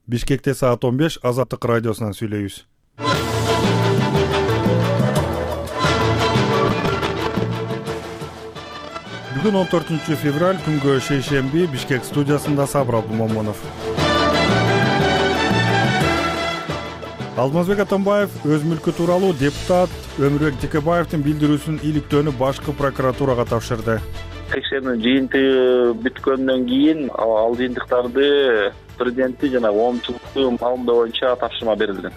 Бишкекте саат 15 Азаттык радиосунан сүйлөйбүз. Бүгүн 14 февраль күнгө шейшемби Бишкек студиясында Сабыр Абдумомунов. Алмазбек Атамбаев өз мүлкү тууралуу депутат Өмүрбек Текебаевдин билдирүүсүн иликтөөнү башкы прокуратурага тапшырды. Текшерүү жыйынтыгы бүткөндөн кийин ал жыйынтыктарды президенттин жана коомчулукту маалымдоо боюнча тапшырма берилген.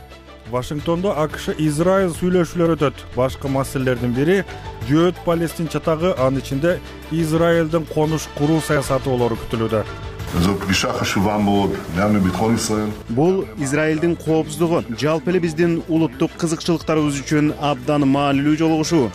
Вашингтондо AQSh-Израиль сүйлөшүүлөр өтөт. Башкы маселелердин бири жөөт Палестин чатагы, анын ичинде Израилдин конуш куруу саясаты болору күтүлүүдө. Бул Израилдин коопсуздугу, жалпы эле биздин улуттук кызыкчылыктарыбыз үчүн абдан маанилүү жолугушуу.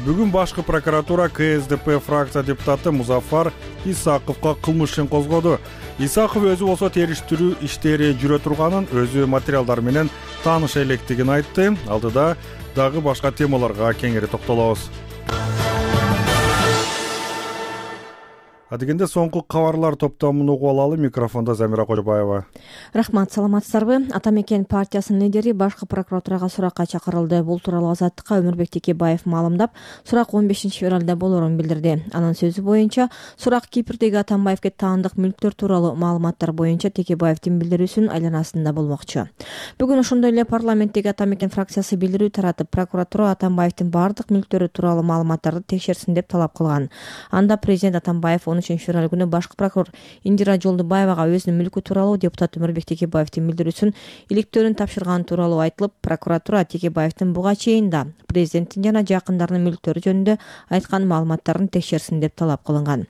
Бүгүн башкы прокуратура КСДП фракция депутаты Музафар Исаковго кылмыш ишин козгоду. Исаков өзү болсо териштирүү иштери жүрө турганын, өзү материалдар менен тааныша электигин айтты. Алдыда дагы башка темаларга кеңири токтолобуз. Адегенде соңку кабарлар топтомун угуп алалы. Микрофондо Замира Кожобаева. Рахмат, саламатсыздарбы? Атамекен партиясынын лидери башкы прокуратурага суракка чакырылды. Бул тууралуу Азаттыкка Өмүрбек Текебаев маалымдап, сурак 15 февралда болорун билдирди. Анын сөзү боюнча, сурак Кипрдеги Атамбаевге таандык мүлктөр тууралуу маалыматтар боюнча Текебаевдин билдирүүсүнүн айланасында болмокчу. Бүгүн ошондой эле парламенттеги Атамекен фракциясы билдирүү таратып, прокуратура Атамбаевдин бардык мүлктөрү тууралуу маалыматтарды текшерсин деп талап кылган. Анда президент Атамбаев 13 февраль күнү башкы прокурор Индира Жолдубаевага өзүнүн мүлкү тууралуу депутат Өмүрбек Текебаевдин билдирүүсүн иликтөөнүн тапшырганы тууралуу айтылып, прокуратура Текебаевдин буга чейин да президенттин жана жакындарынын мүлктөрү жөнүндө айткан маалыматтарын текшерсин деп талап кылынган.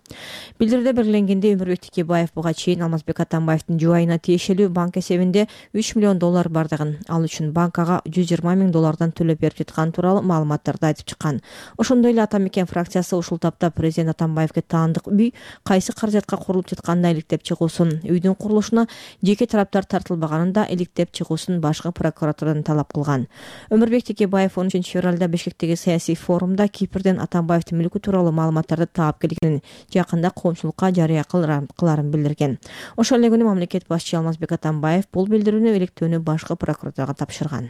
Билдирүүдө белгиленгендей, Өмүрбек Текебаев буга чейин Алмазбек Атамбаевдин жубайына тиешелүү банк эсебинде $3 миллион бардыгын, ал үчүн банкага $120 000 төлөп берип жаткан тууралуу маалыматтарды айтып чыккан. Ошондой эле Атамекен фракциясы ушул тапта президент Атамбаевге таандык үй кайсы каражатка курулуп жатканын иликтеп чыгуусун, үйдүн курулушуна жеке тараптар тартылбаганын да иликтеп чыгуусун башкы прокуратурадан талап кылган. Өмүрбек Текебаев 13 февралда Бишкектеги саясий форумда Кипрден Атамбаевдин мүлкү тууралуу маалыматтарды таап келгенин, жакында коомчулукка жарыя кыларын билдирген. Ошол эле күнү мамлекет башчысы Алмазбек Атамбаев бул билдирүүнү иликтөөнү башкы прокуратурага тапшырган.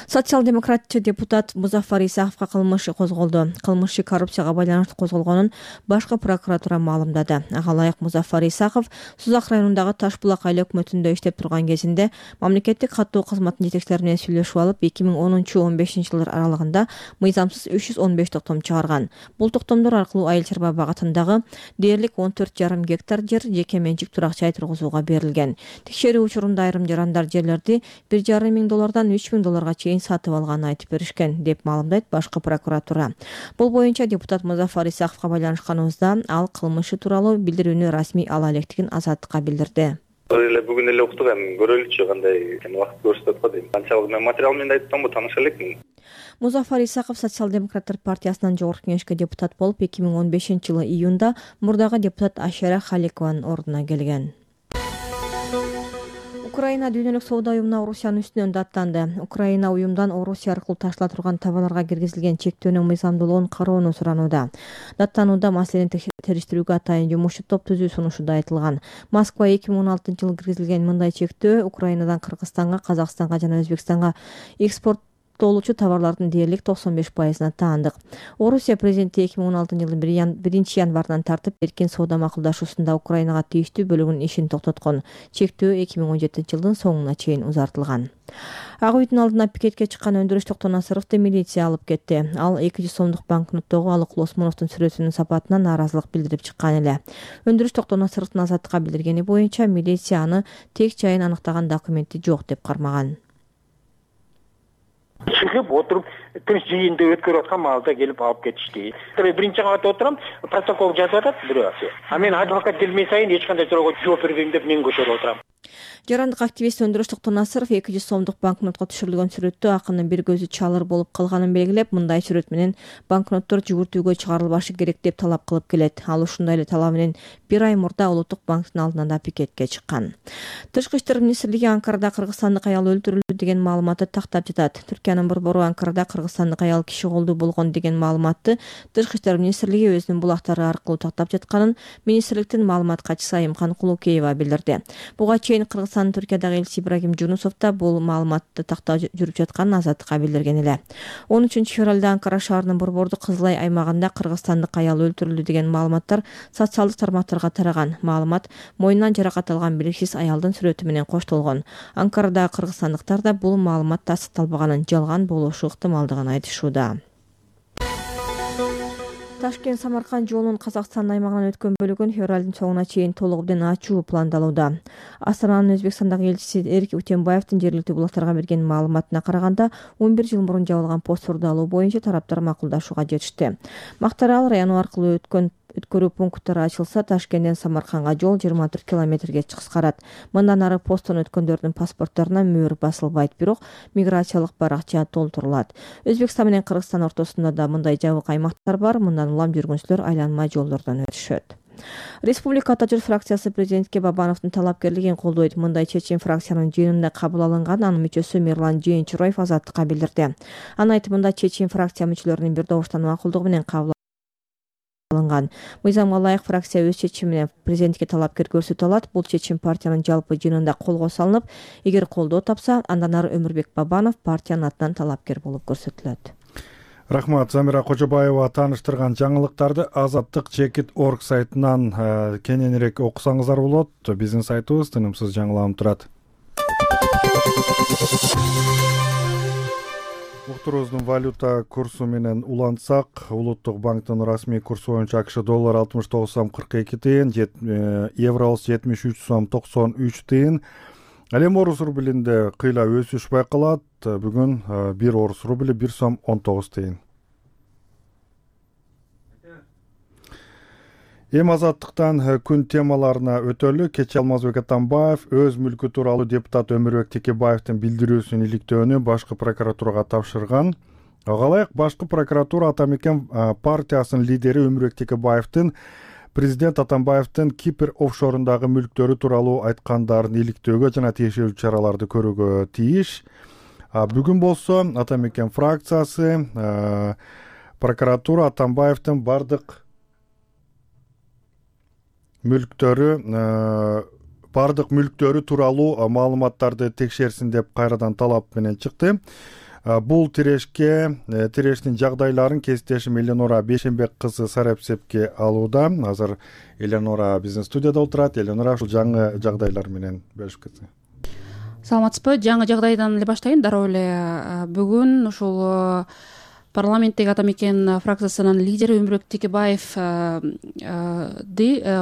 Социал-демократчы депутат Музафар Исаковго кылмыш козголду. Кылмыш коррупцияга байланыштуу козголгонун башкы прокуратура маалымдады. Ага ылайык Музафар Исаков Сузак районундагы Таш булак айыл өкмөтүндө иштеп турган кезинде мамлекеттик каттоо кызматынын жетекчилери менен сүйлөшүп алып, 2010-15 жылдар аралыгында мыйзамсыз 315 токтом чыгарган. Бул токтомдор аркылуу айыл чарба багытындагы дээрлик 14,5 гектар жер жеке менчик турак жай тургузууга берилген. Текшерүү учурунда айрым жарандар жерлерди $1,5 миң $3 миң чейин сатып алганын айтып беришкен, деп маалымдайт башкы прокуратура. Бул боюнча депутат Музафар Исаковго байланышканыбызда ал кылмышы тууралуу билдирүүнү расмий ала электигин Азаттыкка билдирди. Бүгүн эле уктук, эми көрөлүчү кандай убакыт көрсөтөт го дейм. Канчалык мен материал менен айттым, тааныша элекмин. Музафар Исаков социал-демократтар партиясынан жогорку кеңешке депутат болуп, 2015 жылы июнда мурдагы депутат Ашера Халикованын ордуна келген. Украина дүйнөлүк соода уюмуна Орусиянын үстүнөн даттанды. Украина уюмдан Орусия аркылуу ташыла турган товарларга киргизилген чектөөнүн мыйзамдуулугун кароону суранууда. Даттанууда маселени териштирүүгө атайын жумушчу топ түзүү сунушу да айтылган. Москва 2016 жылы киргизилген мындай чектөө Украинадан Кыргызстанга, Казакстанга жана Өзбекстанга экспорттолуучу товарлардын дээрлик 95%-на таандык. Орусия президенти 2016 жылдын 1 январынан тартып эркин соода макулдашуусунда Украинага тийиштүү бөлүгүнүн ишин токтоткон. Чектөө 2017 жылдын соңуна чейин узартылган. Ак үйдүн алдына пикетке чыккан Өндүрүш Токтонасыровду милиция алып кетти. Ал 200 сомдук банкноттогу Алыкул Осмоновдун сүрөтүнүн сапатына нааразылык билдирип чыккан эле. Өндүрүш Токтонасыровдун Азаттыкка билдиргени боюнча, милиция аны тек жайын аныктаган документи жок деп кармаган. Чыгып отуруп, тыныч жыйынды өткөрүп аткан маалда келип алып кетишти. Биринчи кабатта отурам, протокол жазып атат бирөө. А мен адвокат келмей сайын эч кандай суроого жооп бербейм деп мен көчөрүп отурам. Жарандык активист Өндүрүш Токтонасыров 200 сомдук банкнотко түшүрүлгөн сүрөттө акынын бир көзү чалыр болуп калганын белгилеп, мындай сүрөт менен банкноттор жүгүртүүгө чыгарылбашы керек деп талап кылып келет. Ал ушундай эле талап менен 1 ай мурда Улуттук банктын алдына да пикетке чыккан. Тышкы иштер министрлиги Анкарада кыргызстандык аял өлтүрүлдү деген маалыматты тактап жатат. Түркиянын борбору Анкарада кыргызстандык аял киши колдуу болгон деген маалыматты Тышкы иштер министрлиги өзүнүн булактары аркылуу тактап жатканын министрликтин маалымат катчысы Айымкан Кулукеева билдирди. Буга чейин Кыргызстандын Түркиядагы элчиси Ибрагим Жунусов да бул маалыматты тактоо жүрүп жатканын Азаттыкка билдирген эле. 13 февралда Анкара шаарынын Борбордук Кызылай аймагында кыргызстандык аял өлтүрүлдү деген маалыматтар социалдык тармактарга тараган. Маалымат мойнунан жаракат алган белгисиз аялдын сүрөтү менен коштолгон. Анкарадагы кыргызстандыктар да бул маалымат тастыкталбаганын, жалган болушу ыктымалдыгын айтышууда. Ташкент-Самарканд жолунун Казакстан аймагынан өткөн бөлүгүн февралдын соңуна чейин толугу менен ачуу пландалууда. Астананын Өзбекстандагы элчиси Эрик Утенбаевдин жергиликтүү булактарга берген маалыматына караганда 11 жыл мурун жабылган постторду алуу боюнча тараптар макулдашууга жетишти. Мактарал району аркылуу өткөрүү пункттары ачылса, Ташкенттен Самаркандга жол 24 километрге кыскарат. Мындан ары посттон өткөндөрдүн паспортторуна мөөр басылбайт, бирок миграциялык баракча толтурулат. Өзбекстан менен Кыргызстан ортосунда да мындай жабык аймактар бар. Мындан улам жүргүнчүлөр айланма жолдордон өтүшөт. Республика Ата журт фракциясы президентке Бабановдун талапкерлигин колдойт. Мындай чечим фракциянын жыйынында кабыл алынган. Анын мүчөсү Мирлан Жээнчуроев Азаттыкка билдирди. Анын айтымында чечим фракция мүчөлөрүнүн бир добуштан макулдугу менен кабыл алынган. Мыйзамга ылайык фракция өз чечимине президентке талапкер көрсөтө алат. Бул чечим партиянын жалпы жыйынында колго салынып, эгер колдоо тапса, андан ары Өмүрбек Бабанов партиянын атынан талапкер болуп көрсөтүлөт. Рахмат. Замира Кожобаева тааныштырган жаңылыктарды Азаттык.org сайтынан кененирээк окусаңыздар болот. Биздин сайтыбыз тынымсыз жаңыланып турат. Уктурубуздун валюта курсу менен улантсак, Улуттук банктын расмий курсу боюнча АКШ доллар 69 сом 42 тыйын, евро 73 сом 93 тыйын. Ал эми орус рублинде кыйла өсүш байкалат. Бүгүн 1 орус рубли 1 сом 19 тыйын. Эми Азаттыктан күн темаларына өтөлү. Кечээ Алмазбек Атамбаев өз мүлкү тууралуу депутат Өмүрбек Текебаевдин билдирүүсүнүн иликтөөнү башкы прокуратурага тапшырган. Ага ылайык башкы прокуратура Атамекен партиясынын лидери Өмүрбек Текебаевдин президент Атамбаевдин Кипр офшорундагы мүлктөрү тууралуу айткандарын иликтөөгө жана тиешелүү чараларды көрүүгө тийиш. Бүгүн болсо Атамекен фракциясы прокуратура Атамбаевдин бардык мүлктөрү тууралуу маалыматтарды текшерсин деп кайрадан талап менен чыкты. Бул тирештин жагдайларын кесиптешим Эленора Бейшенбек кызы Сарапсепке алууда. Азыр Эленора биздин студияда отурат. Эленора, ушул жаңы жагдайлар менен бөлүшүп кетсең. Саламатсызбы? Жаңы жагдайдан эле баштайын. Дароо эле бүгүн ушул парламенттеги Атамекен фракциясынын лидери Өмүрбек Текебаевди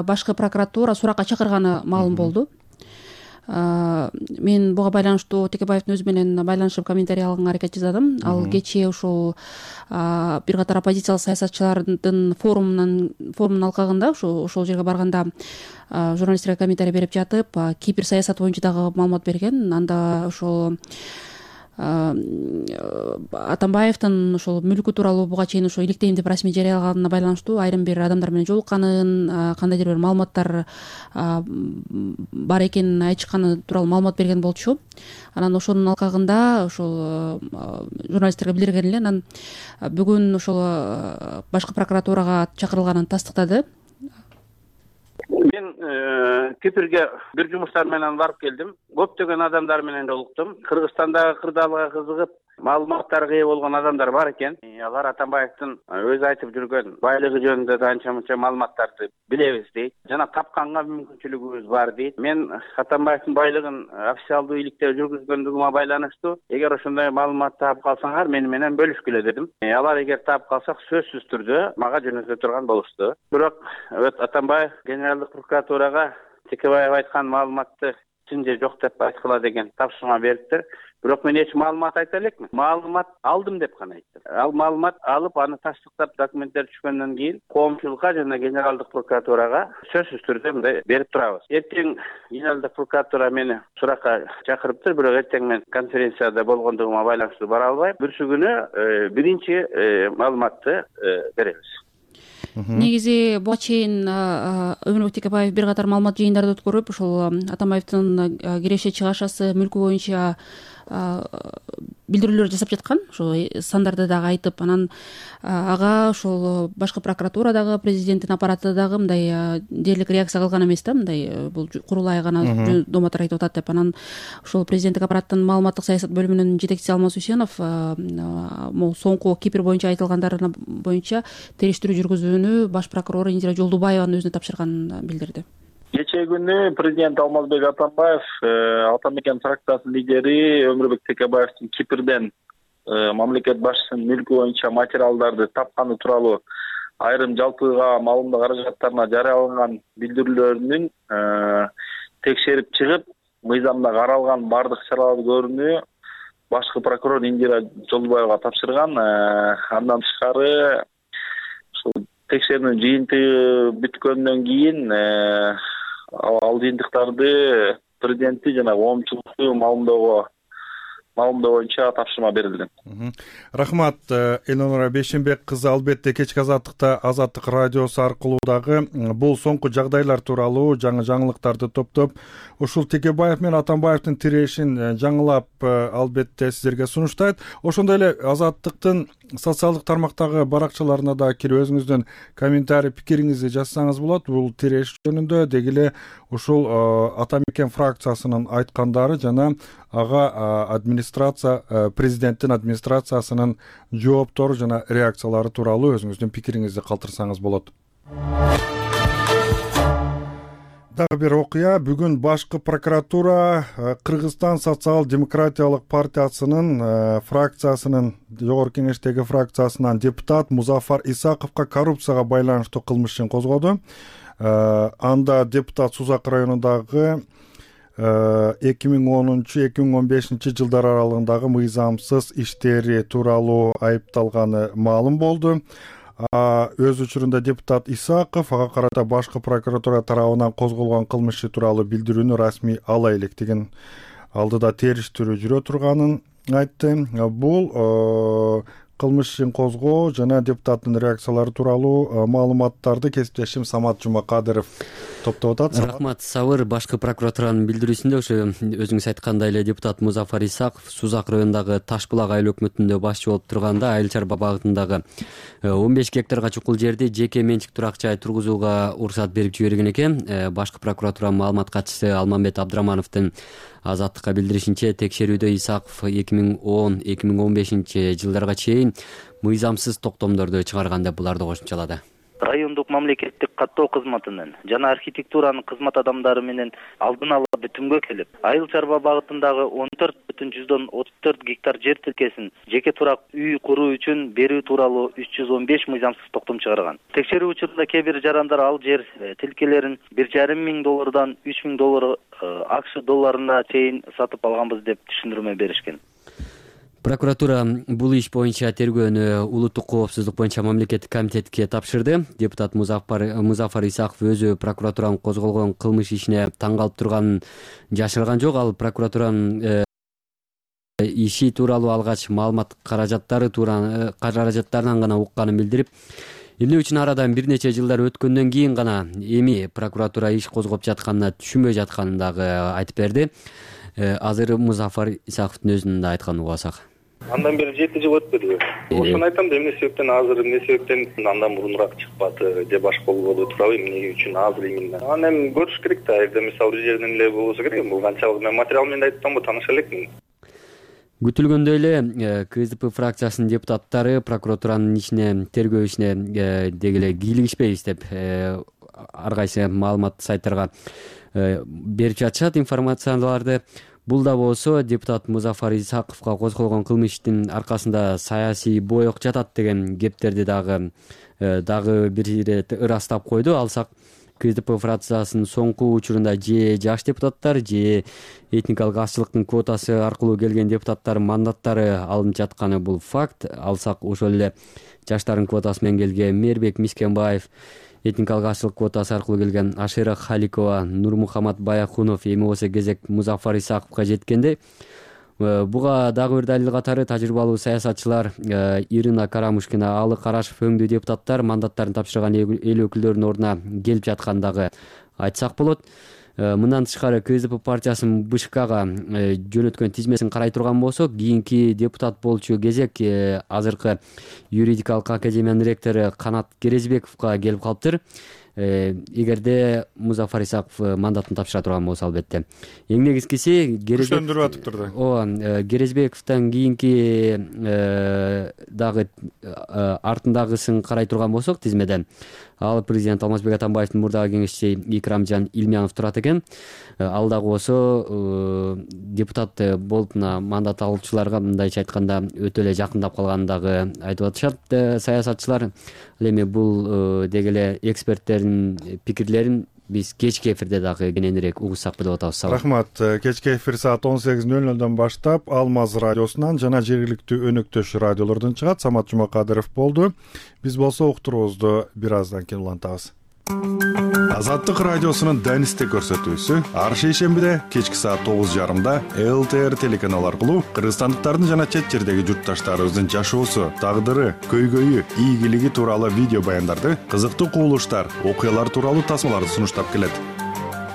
башкы прокуратура суракка чакырганы маалым болду. Мен буга байланыштуу Текебаевдин өзү менен байланышып комментарий алганга аракет жасадым. Ал кечээ ушул бир катар оппозициялык саясатчылардын форумунун алкагында ошол жерге барганда журналисттерге комментарий берип жатып, Кипр саясаты боюнча дагы маалымат берген. Анда ошол Атамбаевдин ошол мүлкү тууралуу буга чейин ошо иликтейм деп расмий жарыялаганына байланыштуу айрым бир адамдар менен жолукканын, кандайдыр бир маалыматтар бар экенин айтышканы тууралуу маалымат берген болчу. Анан ошонун алкагында ошол журналисттерге билдирген эле. Анан бүгүн ошол башкы прокуратурага чакырылганын тастыктады. Мен Кипрге бир жумуштар менен барып келдим. Көптөгөн адамдар менен жолуктум. Кыргызстандагы кырдаалга кызыгып, маалыматтарга ээ болгон адамдар бар экен. Алар Атамбаевдин өзү айтып жүргөн байлыгы жөнүндө да анча-мынча маалыматтарды билебиз дейт. Жана тапканга мүмкүнчүлүгүбүз бар дейт. Мен Атамбаевдин байлыгын официалдуу иликтөө жүргүзгөндүгүмө байланыштуу эгер ошондой маалымат таап калсаңар мени менен бөлүшкүлө дедим. Алар эгер таап калсак сөзсүз түрдө мага жөнөтө турган болушту. Бирок Атамбаев генералдык прокуратурага Текебаев айткан маалыматты чын же жок деп айткыла деген тапшырма бериптир. Бирок мен эч маалымат айта элекмин. Маалымат алдым деп гана айттым. Ал маалымат алып, аны тастыктап документтер түшкөндөн кийин коомчулукка жана генералдык прокуратурага сөзсүз түрдө мындай берип турабыз. Эртең генералдык прокуратура мени суракка чакырыптыр, бирок эртең мен конференцияда болгондугума байланыштуу бара албайм. Бүрсү күнү биринчи маалыматты беребиз. Негизи буга чейин Өмүрбек Текебаев бир катар маалымат жыйындарды өткөрүп, ошол Атамбаевдин киреше чыгашасы мүлкү боюнча билдирүүлөр жасап жаткан, ошо сандарды дагы айтып, анан ага ошол башкы прокуратура дагы, президенттин аппараты дагы мындай дээрлик реакция кылган эмес да, мындай бул курулай гана домотор айтып атат деп. Анан ошол президенттик аппараттын маалыматтык саясат бөлүмүнүн жетекчиси Алмаз Үсенов могу соңку Кипр боюнча айтылгандарына боюнча териштирүү жүргүзүүнү баш прокурор Индира Жолдубаеванын өзүнө тапшырганын билдирди. Кечээ күнү президент Алмазбек Атамбаев Ата мекен фракциясынын лидери Өмүрбек Текебаевдин Кипрден мамлекет башчысынын мүлкү боюнча материалдарды тапканы тууралуу айрым жалпыга маалымдоо каражаттарына жарыяланган билдирүүлөрүнүн текшерип чыгып, мыйзамда каралган бардык чараларды көрүүнү башкы прокурор Индира Жолдубаевага тапшырган. Андан тышкары ушул текшерүүнүн жыйынтыгы бүткөндөн кийин ал жыйынтыктарды президенттик жана коомчулукту маалымдоо боюнча тапшырма берилген. Рахмат, Элнора Бейшенбек кызы. Албетте кечки азаттыкта Азаттык радиосу аркылуу дагы бул соңку жагдайлар тууралуу жаңы жаңылыктарды топтоп, ушул Текебаев менен Атамбаевдин тирешин жаңылап албетте сиздерге сунуштайт. Ошондой эле Азаттыктын социалдык тармактагы баракчаларына да кирип өзүңүздүн комментарий пикириңизди жазсаңыз болот. Бул тиреш жөнүндө деги эле ушул Ата мекен фракциясынын айткандары жана ага президенттин администрациясынын жооптору жана реакциялары тууралуу өзүңүздүн пикириңизди калтырсаңыз болот. Дагы бир окуя. Бүгүн башкы прокуратура Кыргызстан социал-демократиялык партиясынын фракциясынын жогорку кеңештеги фракциясынан депутат Музафар Исаковго коррупцияга байланыштуу кылмыш ишин козгоду. Анда депутат Сузак районундагы 2010-2015 жылдар аралыгындагы мыйзамсыз иштери тууралуу айыпталганы маалым болду. Өз учурунда депутат Исаков ага карата башкы прокуратура тарабынан козголгон кылмыш тууралуу билдирүүнү расмий ала электигин, алдыда териштирүү жүрө турганын айтты. Бул кылмыш ишин козгоо жана депутаттын реакциялары тууралуу маалыматтарды кесиптешим Самат Жумакадыров топтоп атат. Рахмат, Сабыр. Башкы прокуратуранын билдирүүсүндө ошо өзүңүз айткандай эле депутат Музафар Исаков Сузак районундагы Таш булак айыл өкмөтүндө башчы болуп турганда Айыл чарба багытындагы 15 гектарга чукул жерди жеке менчик турак жай тургузууга уруксат берип жиберген экен. Башкы прокуратуранын маалымат катчысы Алмамбет Абдырамановдун Азаттыкка билдиришинче, текшерүүдө Исаков 2010-2015 жылдарга чейин мыйзамсыз токтомдорду чыгарган деп буларды кошумчалады. Райондук мамлекеттик каттоо кызматынын жана архитектуранын кызмат адамдары менен алдын ала бүтүмгө келип, Айыл чарба багытындагы 14,34 гектар жер тилкесин жеке турак үй куруу үчүн берүү тууралуу 315 мыйзамсыз токтом чыгарган. Текшерүү учурунда кээ бир жарандар ал жер тилкелерин $1,500 $3,000 АКШ долларына чейин сатып алганбыз деп түшүндүрмө беришкен. Прокуратура бул иш боюнча тергөөнү улуттук коопсуздук боюнча мамлекеттик комитетке тапшырды. Депутат Музафар Исаков өзү прокуратуранын козголгон кылмыш ишине таң калып турганын жашырган жок. Ал прокуратуранын иши тууралуу алгач маалымат каражаттарынан гана укканын билдирип, эмне үчүн арадан бир нече жылдар өткөндөн кийин гана эми прокуратура иш козгоп жатканына түшүнбөй жатканын дагы айтып берди. Азыр Музафар Исаковдун өзүнүн да айтканын угасак. Андан бери 7 жыл өтпөдүбү? Ошону айтам да, эмне себептен азыр, эмне себептен андан мурунураак чыкпады, же башка болбоду тууралуу, эмне үчүн азыр именно. Аны эми көрүш керек да, эгер мисалы бир жерден эле болсо керек. Бул канчалык мен материал менен айтсам бу тааныша элекмин. Күтүлгөндөй эле КСДП фракциясынын депутаттары прокуратуранын ишине, тергөө ишине деги эле кийлигишпей иштеп, ар кайсы маалымат сайттарга берип жатышат информацияларды. Бул да болсо депутат Музафар Исаковго козголгон кылмыштын аркасында саясий боек жатат деген кептерди дагы бир ирет ырастап койду. Алсак КСДП фракциясынын соңку учурунда же жаш депутаттар, же этникалык азчылыктын квотасы аркылуу келген депутаттардын мандаттары алынып жатканы бул факт. Алсак ошол эле жаштардын квотасы менен келген Мээрбек Мискенбаев, этникалык азчылык квотасы аркылуу келген Ашира Халикова, Нурмухамат Баяхунов, эми болсо кезек Музафар Исаковго жеткенде. Буга дагы бир далил катары тажрыйбалуу саясатчылар Ирина Карамушкина, Алы Карашев өңдүү депутаттар мандаттарын тапшырган эл өкүлдөрүнүн ордуна келип жаткандыгы айтсак болот. Мындан тышкары КСДП партиясынын БШКга жөнөткөн тизмесин карай турган болсок, кийинки депутат болчу кезек азыркы юридикалык академиянын ректору Канат Керезбековго келип калыптыр. Эгерде Музафар Исаков мандатын тапшыра турган болсо, албетте. Эң негизгиси күчтөндүрүп атыптыр да. Ооба, Керезбековдон кийинки дагы артындагысын карай турган болсок тизмеде, ал президент Алмазбек Атамбаевдин мурдагы кеңешчиси Икрамжан Илмянов турат экен. Ал дагы болсо депутат болуп мандат алуучуларга мындайча айтканда өтө эле жакындап калганын дагы айтып атышат саясатчылар. Ал эми бул деги эле эксперттердин пикирлерин биз кечки эфирде дагы кененирээк угушсак деп атабыз. Рахмат. Кечки эфир саат 18:00 баштап Алмаз радиосунан жана жергиликтүү өнөктөш радиолордон чыгат. Самат Жумакадыров болду. Биз болсо уктуруубузду бир аздан кийин улантабыз. Азаттык радиосунун Данисте көрсөтүүсү ар шейшембиде кечки саат 9:30 ЛТР телеканалы аркылуу кыргызстандыктардын жана чет жердеги журтташтарыбыздын жашоосу, тагдыры, көйгөйү, ийгилиги тууралуу видео баяндарды, кызыктуу кубулуштар, окуялар тууралуу тасмаларды сунуштап келет.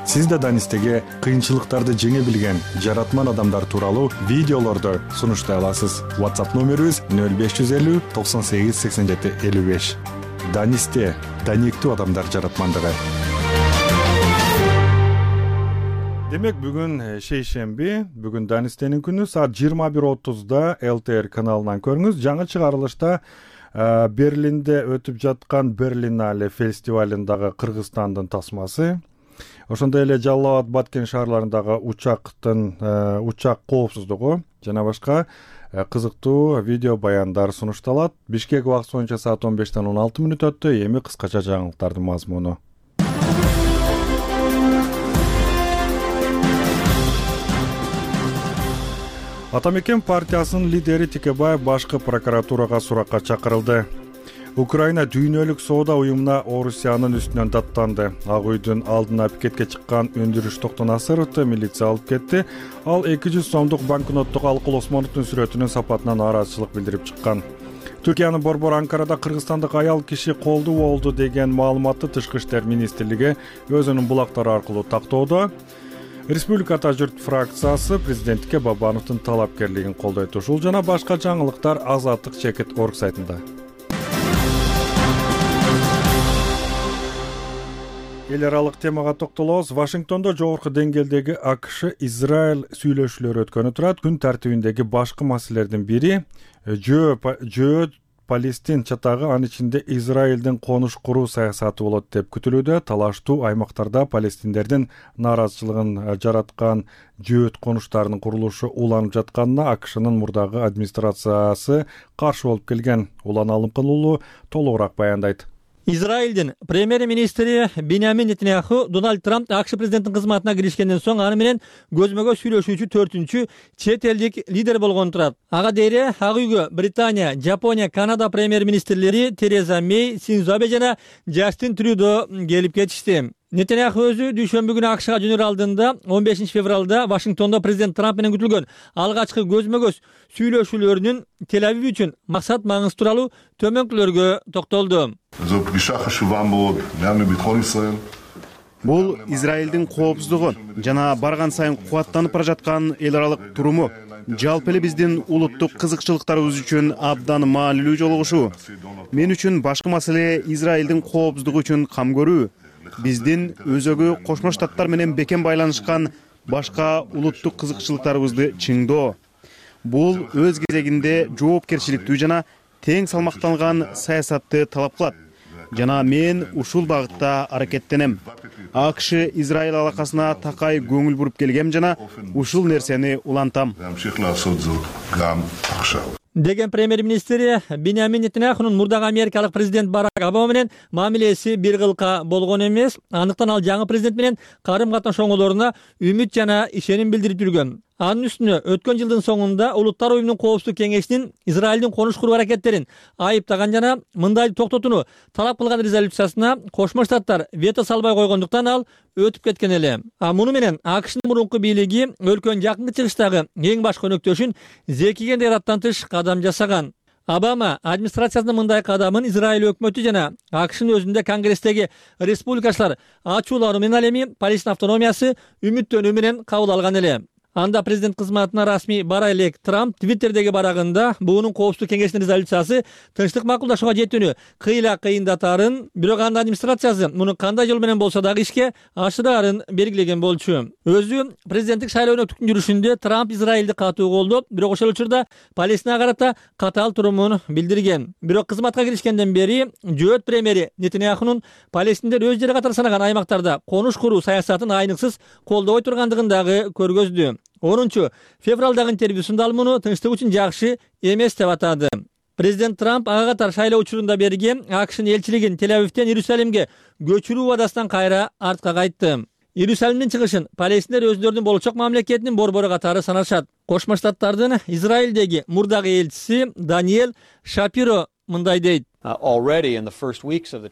Сиз да Данистеге кыйынчылыктарды жеңе билген жаратман адамдар тууралуу видеолорду сунуштай аласыз. WhatsApp номерибиз 0550 98 87 55. Данисте даниктүү адамдар жаратмандыгы. Демек бүгүн шейшемби, бүгүн Данистенин күнү. Саат 21:30 ЛТР каналынан көрүңүз. Жаңы чыгарылышта Берлинде өтүп жаткан Берлинале фестивалындагы Кыргызстандын тасмасы, ошондой эле Жалал Абад, Баткен шаарларындагы учак коопсуздугу жана башка кызыктуу видео баяндар сунушталат. Бишкек убакыты боюнча саат 15:16 өттү. Эми кыскача жаңылыктардын мазмуну. Атамекен партиясынын лидери Текебаев башкы прокуратурага суракка чакырылды. Украина дүйнөлүк соода уюмуна Орусиянын үстүнөн даттанды. Ак үйдүн алдына пикетке чыккан Өндүрүш Токтонасыровду милиция алып кетти. Ал 200 сомдук банкноттук Алкул Осмоновдун сүрөтүнүн сапатына нааразычылык билдирип чыккан. Түркиянын борбор Анкарада кыргызстандык аял киши колдуу болду деген маалыматты Тышкы иштер министрлиги өзүнүн булактары аркылуу тактоодо. Республикада журт фракциясы президентке Бабановдун талапкерлигин колдойт. Ушул жана башка жаңылыктар Азаттык чекит орг сайтында. Эл аралык темага токтолобуз. Вашингтондо жогорку деңгээлдеги AQSh-Израиль сүйлөшүүлөрү өткөнү турат. Күн тартибиндеги башкы маселелердин бири жөө Палестин чатагы, анын ичинде Израилдин конуш куруу саясаты болот деп күтүлүүдө. Талаштуу аймактарда палестиндердин нааразычылыгын жараткан жөөт конуштарынын курулушу уланып жатканына AQShnын мурдагы администрациясы каршы болуп келген. Улан Алымкын уулу толугураак баяндайт. Израилдин премьер-министри Биньямин Нетаньяху Дональд Трамп АКШ президенттин кызматына киришкенден соң аны менен көзмө-көз сүйлөшүүчү 4-чү чет элдик лидер болгон турат. Ага дейре Ак үйгө Британия, Жапония, Канада премьер-министрлери Тереза Мей, Синдзо Абе жана Джастин Трюдо келип кетишти. Нетаньяху өзү дүйшөмбү күнү АКШга жөнөр алдында 15 февралда Вашингтондо президент Трамп менен күтүлгөн алгачкы көзмө-көз сүйлөшүүлөрүнүн Тель-Авив үчүн максат маңызы тууралуу төмөнкүлөргө токтолду. Бул Израилдин коопсуздугу жана барган сайын кубаттанып бара жаткан эл аралык туруму жалпы эле биздин улуттук кызыкчылыктарыбыз үчүн абдан маанилүү жолугушуу. Мен үчүн башкы маселе Израилдин коопсуздугу үчүн кам көрүү. Биздин өзөгү Кошмо Штаттар менен бекем байланышкан башка улуттук кызыкчылыктарыбызды чыңдоо. Бул өз кезегинде жоопкерчиликтүү жана тең салмакталган саясатты талап кылат. Жана мен ушул багытта аракеттенем. AQSh Израиль алакасына такай көңүл буруп келгем жана ушул нерсени улантам. Деген премьер-министри Биньямин Нетаньяхунун мурдагы америкалык президент Барак Обама менен мамилеси бир кылка болгон эмес. Андыктан ал жаңы президент менен карым-катнаш оңолоруна үмүт жана ишеним билдирип жүргөн. Анын үстүнө өткөн жылдын соңунда Улуттар уюмунун коопсуздук кеңешинин Израилдин конуш куруу аракеттерин айыптаган жана мындайды токтотууну талап кылган резолюциясына Кошмо Штаттар вето салбай койгондуктан ал өтүп кеткен эле. Муну менен AQShnын мурунку бийлиги өлкөнүн жакынкы чыгыштагы эң баш өнөктөшүн Зекигендей араттан тыш кадам жасаган. Обама администрациясынын мындай кадамын Израиль өкмөтү жана АКШнын өзүндө Конгресстеги республикачылар ачуулары менен ал эми Палестина автономиясы үмүттөнүү менен кабыл алган эле. Анда президент кызматына расмий бара элек Трамп Твиттердеги барагында буунун коопсуздук кеңешинин резолюциясы тынчтык макулдашууга жетүүнү кыйла кыйындатаарын, бирок анын администрациясы муну кандай жол менен болсо дагы ишке ашыраарын белгилеген болчу. Өзү президенттик шайлоо өткөн жүрүшүндө Трамп Израилди катуу колдоп, бирок ошол учурда Палестинага карата катаал турумун билдирген. Бирок кызматка киришкенден бери жөөт премьери Нетаньяхунун палестиндер өз жери катары санаган аймактарда конуш куруу саясатын айныксыз колдобой тургандыгын дагы көргөздү. 10 февралдагы интервьюсунда ал муну тынчтык үчүн жакшы эмес деп атады. Президент Трамп ага катар шайлоо учурунда берген АКШнын элчилигин Тель-Авивден Иерусалимге көчүрүү убадасынан кайра артка кайтты. Иерусалимдин чыгышын палестиндер өздөрүнүн болочок мамлекетинин борбору катары санашат. Кошмо Штаттардын Израилдеги мурдагы элчиси Даниэль Шапиро мындай дейт.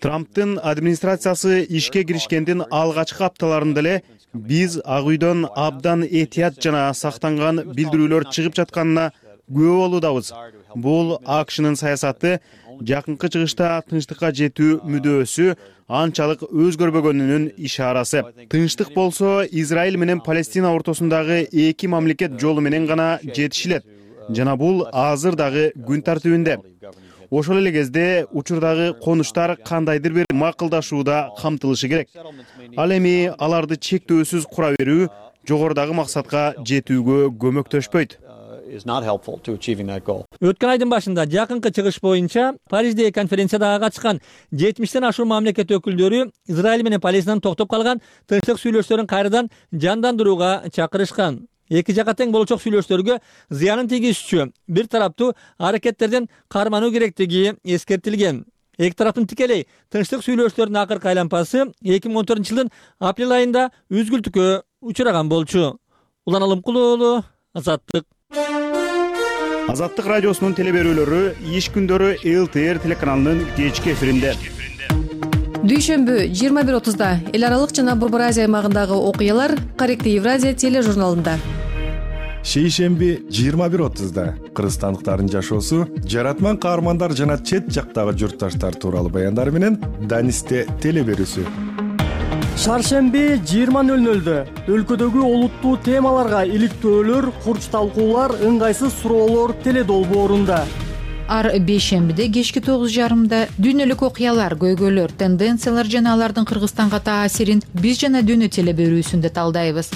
Трамптын администрациясы ишке киришкендин алгачкы апталарында эле биз Ак үйдөн абдан этият жана сактанган билдирүүлөр чыгып жатканына күбө болуудабыз. Бул АКШнын саясаты жакынкы чыгышта тынчтыкка жетүү мүдөөсү анчалык өзгөрбөгөнүнүн ишарасы. Тынчтык болсо Израиль менен Палестина ортосундагы эки мамлекет жолу менен гана жетишилет жана бул азыр дагы күн тартибинде. Ошол эле кезде учурдагы конуштар кандайдыр бир макулдашууда камтылышы керек. Ал эми аларды чектөөсүз кура берүү жогорудагы максатка жетүүгө көмөктөшпөйт. Өткөн айдын башында жакынкы чыгыш боюнча Париждеги конференцияда катышкан 70тен ашуун мамлекет өкүлдөрү Израиль менен Палестинанын токтоп калган тынчтык сүйлөшүүлөрүн кайрадан жандандырууга чакырышкан. Эки жака тең болочок сүйлөшүүлөргө зыянын тийгизүүчү бир тараптуу аракеттерден кармануу керектиги эскертилген. Эки тараптын тикелей тынчтык сүйлөшүүлөрүнүн акыркы айланпасы 2014-жылдын апрель айында үзгүлтүккө учураган болчу. Улан Алымкулуу уулу, Азаттык. Азаттык радиосунун телеберүүлөрү иш күндөрү ЛТР телеканалынын кечки эфиринде. Дүйшөмбү 21:30-да эл аралык жана Борбор Азия аймагындагы окуялар Корректив Евразия тележурналында. Шейшемби 21:30-да кыргызстандыктардын жашоосу, жаратман каармандар жана чет жактагы журтташтар тууралуу баяндар менен Данисте телеберүүсү. Шаршемби 20:00-дө өлкөдөгү олуттуу темаларга иликтөөлөр, курч талкуулар, ыңгайсыз суроолор теледолбоорунда. Ар бейшембиде кечки 9:30-да дүйнөлүк окуялар, көйгөйлөр, тенденциялар жана алардын Кыргызстанга таасирин биз жана дүйнө телеберүүсүндө талдайбыз.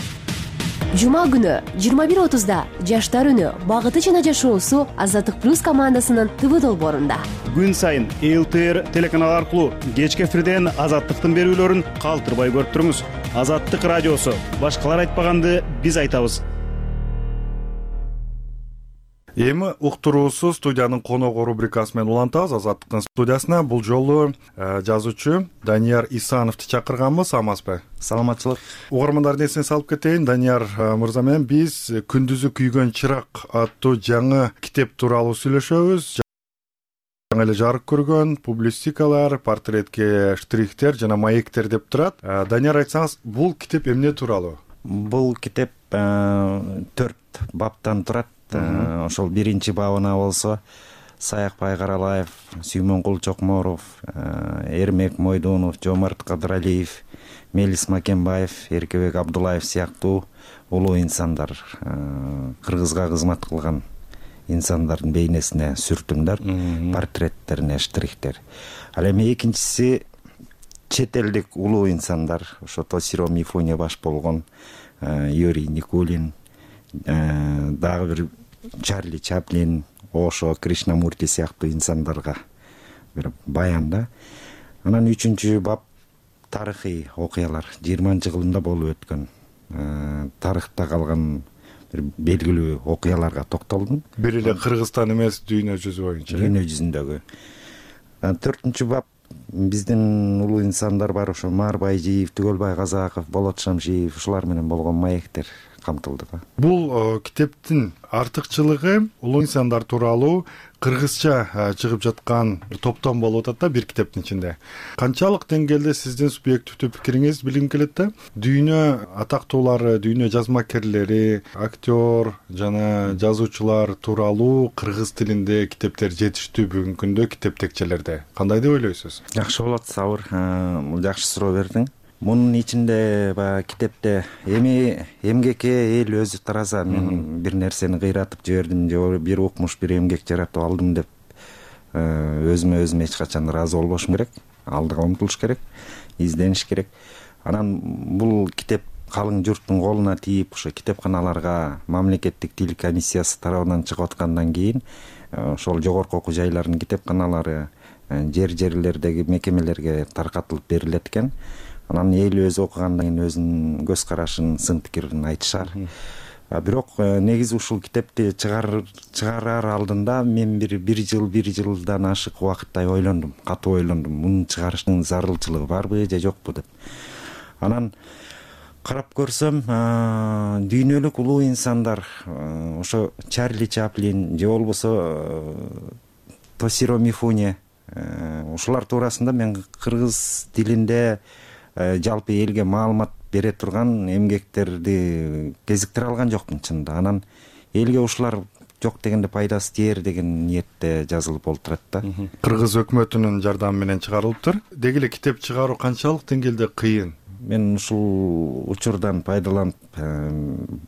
Жума күнү 21:30-да жаштар үнү, багыты жана жашоосу Азаттык плюс командасынын ТВ долбоорунда. Күн сайын ЛТР телеканалы аркылуу кечки эфирден Азаттыктын берүүлөрүн калтырбай көрүп туруңуз. Азаттык радиосу, башкалар айтпаганды биз айтабыз. Эми уктуруусу студиянын коногу рубрикасы менен улантабыз. Азаттыктын студиясына бул жолу жазуучу Данияр Исановду чакырганбыз. Амазбы? Саламатчылык. Угармандардын эсине салып кетейин. Данияр мырза менен биз Күндүзү күйгөн чырак аттуу жаңы китеп тууралуу сүйлөшөбүз. Жаңы эле жарык көргөн публистикалар, портретке штрихтер жана маектер деп турат. Данияр, айтсаңыз, бул китеп эмне тууралуу? Бул китеп 4 баптан турат. Ошол биринчи бабына болсо Саякбай Каралаев, Сүймөнкул Чокморов, Эрмек Мойдунов, Жомарт Кадыралиев, Мелис Макенбаев, Эркебек Абдулаев сыяктуу улуу инсандар, кыргызга кызмат кылган инсандардын бейнесине сүртүмдөр, портреттерине штрихтер. Ал эми экинчиси чет элдик улуу инсандар, ошо Тосиро Мифуне баш болгон, Юрий Никулин, дагы бир Чарли Чаплин, Ошо, Кришнамурти сыяктуу инсандарга бир баян да. Анан 3-чү бап тарыхый окуялар, 20-жылында болуп өткөн тарыхта калган бир белгилүү окуяларга токтолдум. Бир эле Кыргызстан эмес, дүйнө жүзү боюнча. Дүйнө жүзүндөгү. 4-чү бап биздин улуу инсандар бар, ошо Маар Байжиев, Түгөлбай Казаков, Болот Шамшиев, ушулар менен болгон маектер камтылды да. Бул китептин артыкчылыгы улуу инсандар тууралуу кыргызча чыгып жаткан топтом болуп атат да бир китептин ичинде. Канчалык деңгээлде сиздин субъективдүү пикириңизди билгим келет да. Дүйнө атактуулары, дүйнө жазмакерлери, актер жана жазуучулар тууралуу кыргыз тилинде китептер жетиштүү бүгүнкү күндө китеп текчелерде. Кандай деп ойлойсуз? Жакшы болот, Сабыр. Бул жакшы суроо бердиң. Мунун ичинде баягы китепте эмгекке эл өзү тараза, мен бир нерсени кыйратып жибердим же бир укмуш, бир эмгек жаратып алдым деп өзүмө эч качан ыраазы болбошум керек. Алдыга умтулуш керек, издениш керек. Анан бул китеп калың журттун колуна тийип, ошо китепканаларга мамлекеттик тил комиссиясы тарабынан чыгып аткандан кийин ошол жогорку окуу жайлардын китепканалары жерлердеги мекемелерге таркатылып берилет экен. Анан эл өзү окугандан кийин өзүнүн көз карашын, сын пикирин айтышар. Бирок негизи ушул китепти чыгарар алдында мен бир жылдан ашык убакыттай ойлондум, катуу ойлондум. Муну чыгарыштын зарылчылыгы барбы же жокпу деп. Анан карап көрсөм, дүйнөлүк улуу инсандар, ошо Чарли Чаплин же болбосо Тосиро Мифуне, ушулар туурасында мен кыргыз тилинде жалпы элге маалымат бере турган эмгектерди кезиктире алган жокмун чынында. Анан элге ушулар жок дегенде пайдасы тиер деген ниетте жазылып болуп турат да. Кыргыз өкмөтүнүн жардамы менен чыгарылыптыр. Деги эле китеп чыгаруу канчалык деңгээлде кыйын? Мен ушул учурдан пайдаланып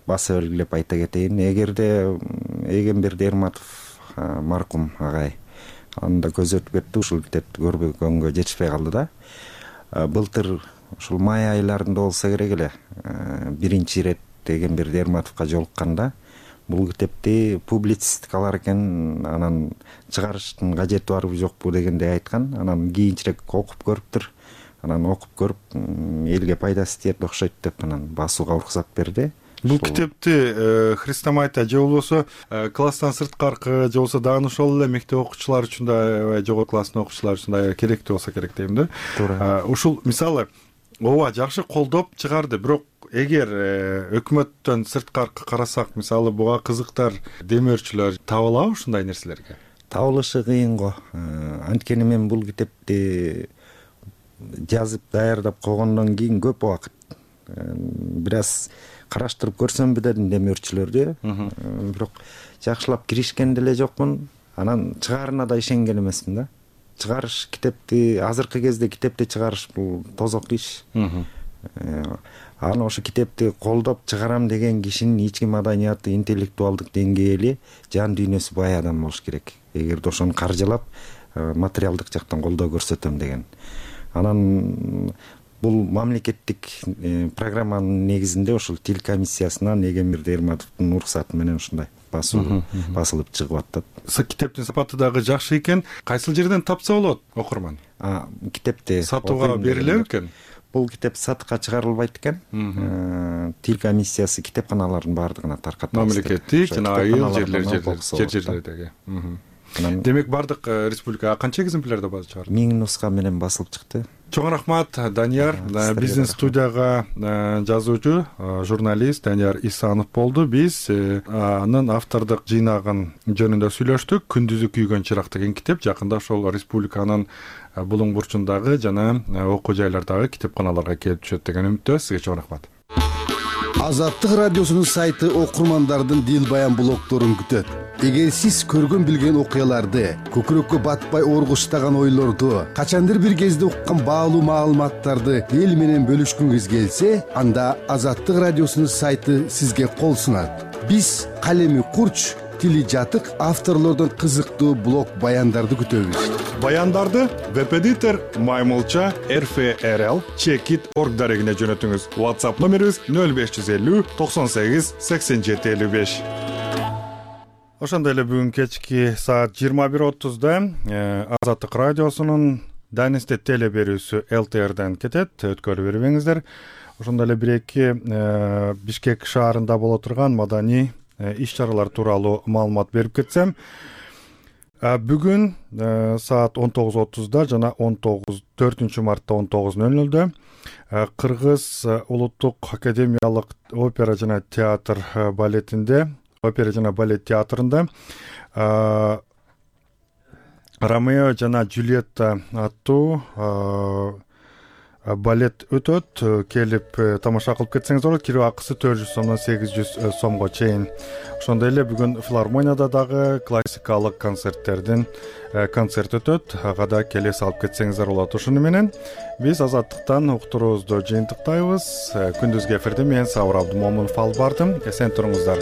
баса белгилеп айта кетейин. Эгерде Эгемберди Эрматов маркум агай анда көзөтүп кетти, ушул китепти көргөнгө жетишпей калды да. Былтыр ушул май айларында болсо керек эле биринчи ирет Эгемберди Эрматовго жолукканда бул китепти публицистикалар экен, анан чыгарыштын кажети барбы жокпу дегендей айткан. Анан кийинчерээк окуп көрүптүр. Анан окуп көрүп элге пайдасы тиет окшойт деп анан басууга уруксат берди. Бул китепти хрестоматия же болбосо класстан сырткаркы же болбосо дагы ошол эле мектеп окуучулары үчүн да, жогорку класстын окуучулары үчүн да керектүү болсо керек дейм да. Туура. Ушул мисалы ооба жакшы колдоп чыгарды, бирок эгер өкмөттөн сырткаркы карасак, мисалы буга кызыктар демөөрчүлөр табылабы ушундай нерселерге? Табылышы кыйын го. Анткени мен бул китепти жазып даярдап койгондон кийин көп убакыт бир аз караштырып көрсөмбү дедим демөөрчүлөрдү. Бирок жакшылап киришкен деле жокмун. Анан чыгаарына да ишенген эмесмин да. Чыгарыш китепти, азыркы кезде китепти чыгарыш бул тозок иш. Аны ошо китепти колдоп чыгарам деген кишинин ички маданияты, интеллектуалдык деңгээли, жан дүйнөсү бай адам болуш керек. Эгерде ошону каржылап, материалдык жактан колдоо көрсөтөм деген. Анан бул мамлекеттик программанын негизинде ошол тил комиссиясынан Эгемберди Эрматовдун уруксаты менен ушундай басылып чыгып атат. Китептин сапаты дагы жакшы экен. Кайсыл жерден тапса болот окурман? Китепти сатууга берилеби экен? Бул китеп сатыкка чыгарылбайт экен. Тил комиссиясы китепканалардын баардыгына таркатат. Мамлекеттик жана айыл жерлердеги. Демек бардык республикага канча экземплярда чыгарды? 1000 нуска менен басылып чыкты. Чоң рахмат, Данияр. Биздин студияга жазуучу, журналист Данияр Исанов болду. Биз анын автордук жыйнагын жөнүндө сүйлөштүк. Күндүзү күйгөн чырак деген китеп жакында ошол республиканын булуң бурчундагы жана окуу жайлардагы китепканаларга келип түшөт деген үмүттө. Сизге чоң рахмат. Азаттык радиосунун сайты окурмандардын дил баян блогдорун күтөт. Эгер сиз көргөн билген окуяларды, көкүрөккө батпай оргуштаган ойлорду, качандыр бир кезде уккан баалуу маалыматтарды эл менен бөлүшкүңүз келсе, анда Азаттык радиосунун сайты сизге кол сунат. Биз калеми курч, тили жатык авторлордон кызыктуу блог баяндарды күтөбүз. Баяндарды веб-эдитор Маймылча RFRL Checkit.org дарегине жөнөтүңүз. WhatsApp номерибиз 0550 98 87 55. Ошондой эле бүгүн кечки саат 21:30да Азаттык радиосунун Данисте теле берүүсү ЛТРден кетет. Өткөрүп бербеңиздер. Ошондой эле бир-эки Бишкек шаарында боло турган маданий иш-чаралар тууралуу маалымат берип кетсем. Бүгүн саат 19:30 жана 4 мартта 19:00 Кыргыз улуттук академиялык опера жана театр балетинде, опера жана балет театрында Ромео жана Джульетта аттуу балет өтөт. Келип тамаша кылып кетсеңиз болот. Кирип акысы 400 сомдон 800 сомго чейин. Ошондой эле бүгүн филармонияда дагы классикалык концерттердин концерт өтөт. Ага да келе салып кетсеңиздер болот. Ошону менен биз Азаттыктан уктуруубузду жыйынтыктайбыз. Күндүзгү эфирде мен Сабыр Абдымомунов алып бардым. Эсен туруңуздар.